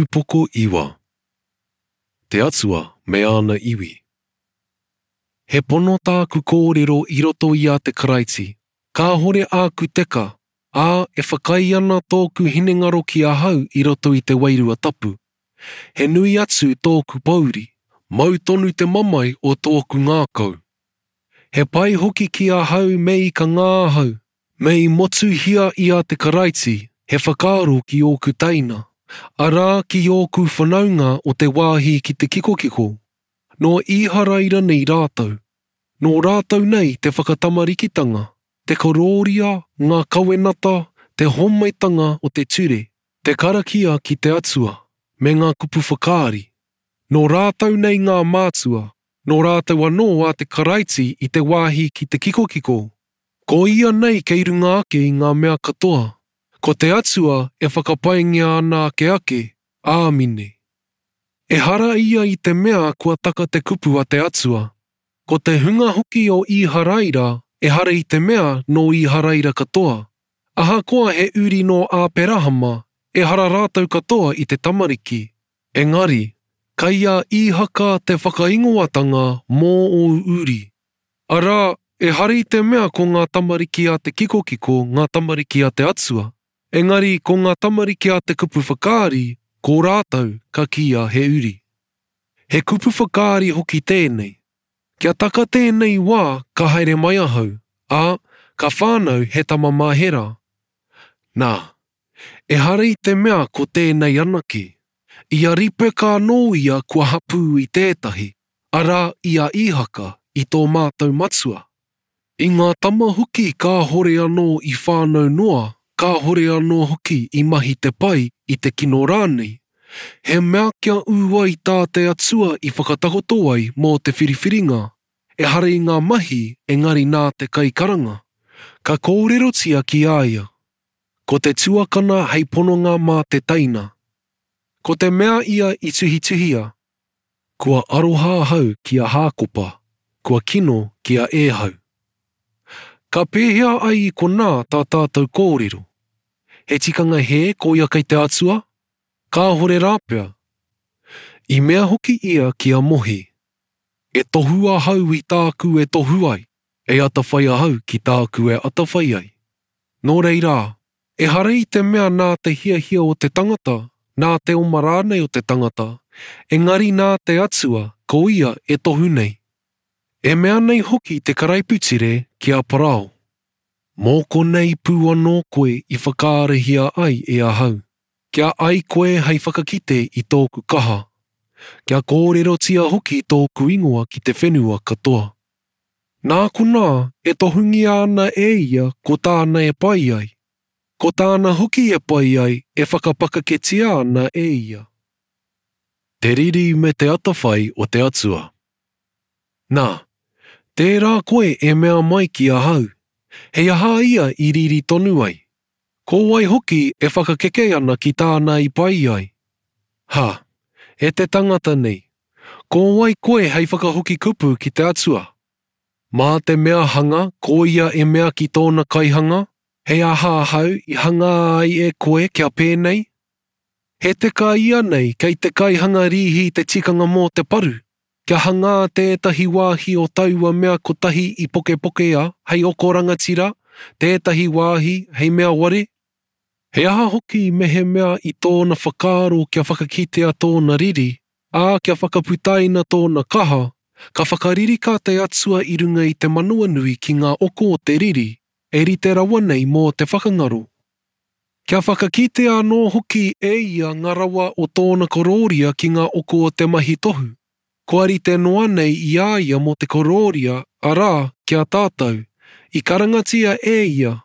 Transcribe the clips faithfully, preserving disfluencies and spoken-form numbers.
Upoko iwa. Te Atua me āna iwi. He pono tāku kōrero i roto i a te Karaiti, kāhore āku teka, ā, e whakaae ana tōku hinengaro ki ahau i roto i te wairua tapu. He nui atu tōku pōuri, mau tonu te mamae o tōku ngākau. He pai hoki ki ahau me i ka ngā ahau, me i motuhia i a te Karaiti, he whakaaro ki ōku teina, arā ki ōku whanaunga o te wāhi ki te kikokiko. Nō Īharaira nei rātou. Nō rātou nei te whakatamarikitanga, te korōria, ngā kawenata, te homaitanga o te ture, te karakia ki te Atua, me ngā kupu whakaari. Nō rātou nei ngā mātua, nō rātou anō a te Karaiti i te wāhi ki te kikokiko. Ko ia nei kei runga ake i ngā mea katoa. Ko te Atua e whakapaingia ana ake ake, āmine. Ehara ia i te mea kua taka te kupu a te Atua. Ko te hunga hoki o Īharaira, ehara i te mea nō Īharaira katoa. Ahakoa he uri nō Āperahama, ehara rātou katoa i te tamariki. Engari, kei a Īhaka te whakaingoatanga mō ōu uri. Arā, ehara i te mea ko ngā tamariki a te kikokiko ngā tamariki a te Atua. Engari, ko ngā tamariki a te kupu whakaari, ko rātou ka kīia he uri. He kupu whakaari hoki tēnei. Kia taka tēnei wā ka haere mai ahau, ā, ka whānau he tama mā Hera. Nā, ehara i te mea ko tēnei anake. I a Ripeka anō ia kua hapū i tētahi, arā i a Īhaka, i tō mātou matua. I ngā tama hoki kāhore anō i whānau noa, kāhore anō hoki i mahi te pai i te kino rānei. He mea kia ū ai tā te Atua i whakatakoto ai mō te whiriwhiringa, ehara i ngā mahi engari nā te kaikaranga. Ka kōrerotia ki a ia. Ko te tuakana hei pononga mā te teina. Ko te mea ia i tuhituhia. Kua aroha ahau ki a Hākopa, kua kino ki a Ēhau. Ka pēhea ai i konā tā tātou kōrero? He tikanga hē koia kei te Atua? Kāhore rāpea. I mea hoki ia ki a Mohi. E tohu ahau i tāku e tohu ai, e atawhai ahau ki tāku e atawhai ai. Nō reira, ehara i te mea nā te hiahia o te tangata, nā te oma rānei o te tangata, engari nā te Atua ko ia e tohu nei. E mea nei hoki te karaipiture ki a Parao. Mō konei pū anō koe i whakaarahia ai e ahau, kia ai koe hei whakakite i tōku kaha, kia kōrerotia hoki tōku ingoa ki te whenua katoa. Nā konā e tohungia ana e ia ko tāna e pai ai, ko tāna hoki e pai ai e whakapakaketia ana e ia. Te riri me te atawhai o te Atua. Nā, tērā koe e mea mai ki ahau, hei aha ia i riri tonu ai? Ko wai hoki e whakakeke ana ki tāna i pai ai? Ha, e te tangata nei, ko wai koe hei whakahoki kupu ki te Atua? Mā te mea hanga, ko ia e mea ki tōna kaihanga, hei aha ahau i hanga ai e koe kia pēnei? He teka ia nei kei te kaihanga rīhi te tikanga mō te paru, kia hangā tētahi wāhi o taua mea kotahi i pokepokea hei oko rangatira, tētahi wāhi hei mea ware? He aha hoki mehemea i tōna whakaaro kia whakakitea tōna riri, ā kia whakaputaina tōna kaha, ka whakaririka te Atua i runga i te manawanui ki ngā oko o te riri, e rite rawa nei mō te whakangaro. Kia whakakitea anō hoki e ia ngā rawa o tōna korōria ki ngā oko o te mahi tohu. Kua rite noa nei i a ia mō te korōria, arā, ki a tātou, i karangatia e ia,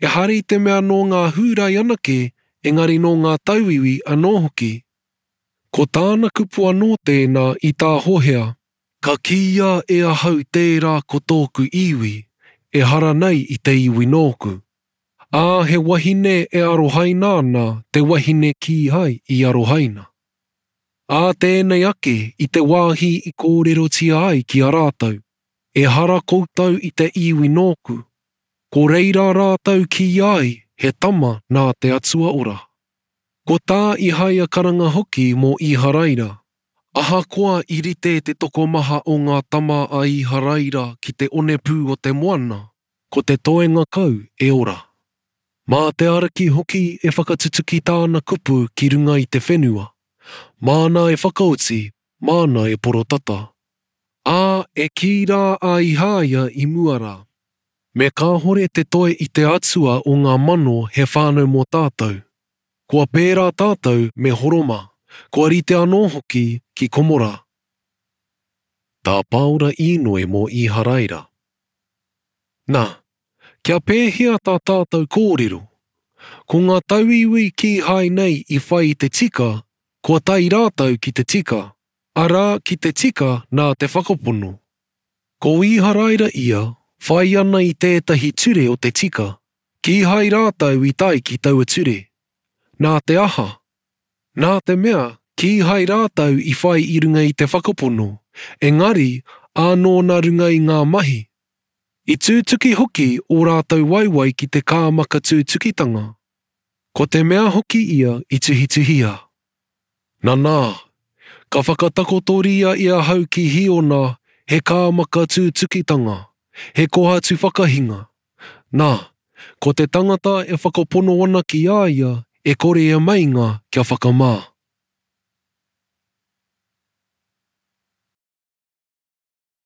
ehara i te mea nō ngā Hūrai anake, engari nō ngā tauiwi anō hoki. Ko tāna kupu anō tēnā i tā Hohea, ka kīia e ahau tērā ko tōku iwi, ehara nei i te iwi nōku. Ā, he wahine e arohaina ana te wahine kīhai i arohaina. Ā tēnei ake i te wāhi i kōrerotia ai ki a rātou, ehara koutou i te iwi nōku, ko reira rātou kīia ai he tama nā te Atua ora. Ko tā Ihaia karanga hoki mō Iharaira. Ahakoa i rite te tokomaha o ngā tama a Iharaira ki te onepū o te moana, ko te toenga kau e ora. Mā te Ariki hoki e whakatutuki tāna kupu ki runga i te whenua. Māna e whakaoti, māna e porotata. Ā, e kī rā a Ihaia i mua rā. Me kāhore te toe i te Atua o ngā mano he whānau mō tātou. Kua pērā tātou me Horoma, kua rite anō hoki ki Komora. Tā Pāora īnoi mō Iharaira. Nā, kia pēhea tā tātou kōrero? Ko ngā tauiwi kīhai nei i whai i te tika, kua tae rātou ki te tika, arā ki te tika nā te whakapono. Ko Iharaira ia, whai ana i tētahi ture o te tika, kīhai rātou i tae ki taua ture. Nā te aha? Nā te mea, kīhai rātou i whai i runga i te whakapono, engari ānō nā runga i ngā mahi. I tūtuki hoki ō rātou waewae ki te kāmaka tūtukitanga. Ko te mea hoki ia i tuhituhia. Nanā, ka whakatakotoria e ahau ki Hiona he kāmaka tūtukitanga, he kohatu whakahinga. Nā, ko te tangata e whakapono ana ki a ia e kore e meinga kia whakamā.